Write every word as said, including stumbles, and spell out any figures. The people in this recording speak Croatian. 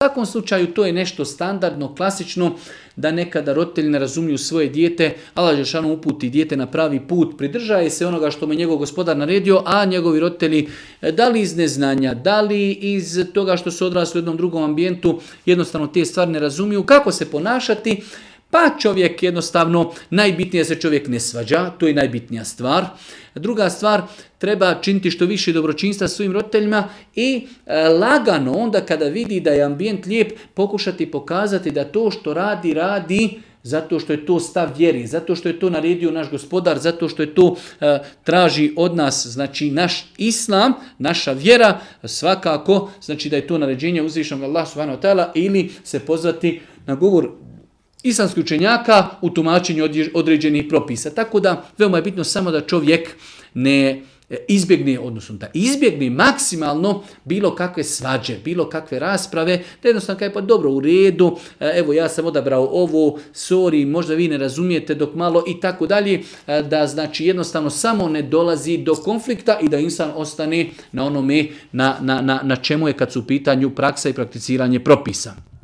svakom slučaju to je nešto standardno, klasično, da nekada roditelji ne razumiju svoje dijete, Allah dželešanu uputi dijete na pravi put, pridržaje se onoga što mu je njegov gospodar naredio, a njegovi roditelji, da li iz neznanja, da li iz toga što su odrasli u jednom drugom ambijentu, jednostavno te stvari ne razumiju, kako se ponašati. Pa čovjek jednostavno, najbitnije se čovjek ne svađa, to je najbitnija stvar. Druga stvar, treba činiti što više dobročinstva svojim roditeljima i e, lagano onda kada vidi da je ambijent lijep, pokušati pokazati da to što radi, radi zato što je to stav vjeri, zato što je to naredio naš gospodar, zato što je to e, traži od nas, znači naš islam, naša vjera, svakako, znači da je to naređenje uzvišenog Allah subhanahu wa ta'ala, ili se pozvati na govor islamskih učenjaka u tumačenju određenih propisa. Tako da veoma je bitno samo da čovjek ne izbjegne, odnosno da izbjegne maksimalno bilo kakve svađe, bilo kakve rasprave, da jednostavno kaže pa dobro, u redu, evo ja sam odabrao ovo, sorry, možda vi ne razumijete dok malo i tako dalje, da znači jednostavno samo ne dolazi do konflikta i da insan ostane na onome na, na, na, na čemu je kad su u pitanju praksa i prakticiranje propisa.